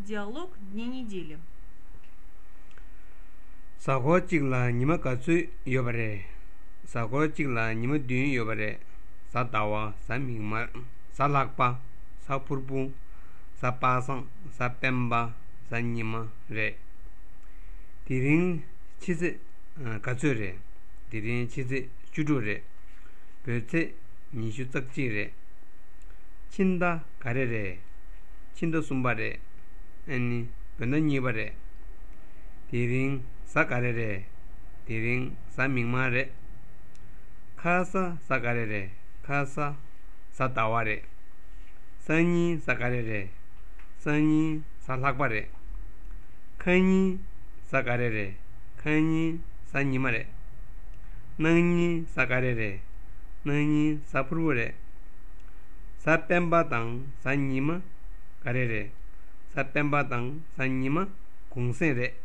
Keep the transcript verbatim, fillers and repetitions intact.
Диалог дня недели. Саго чигла нима кацу йобаре. Саго чигла нима дюн йобаре. Сатаwa, Samingma, Salakpa, Sapurbu, Sapasan, Sapemba, Sanima, Re. Tiring Chise Katsure, Tiring Chise Chudure, Pete Nishu Takchire, Chinda Karere, Chinda Sumbare, Any Penanibare, Tiring Sakarere, Tiring Samingmare, Casa Sakarere. Casa Sataware Sani Sakarere Sani Salakbare Kani Sakarere Kani Sanimare Nani Sakarere Nani Sapurure Sapembatang Sanima Karere Sapembatang Sanima Kungsere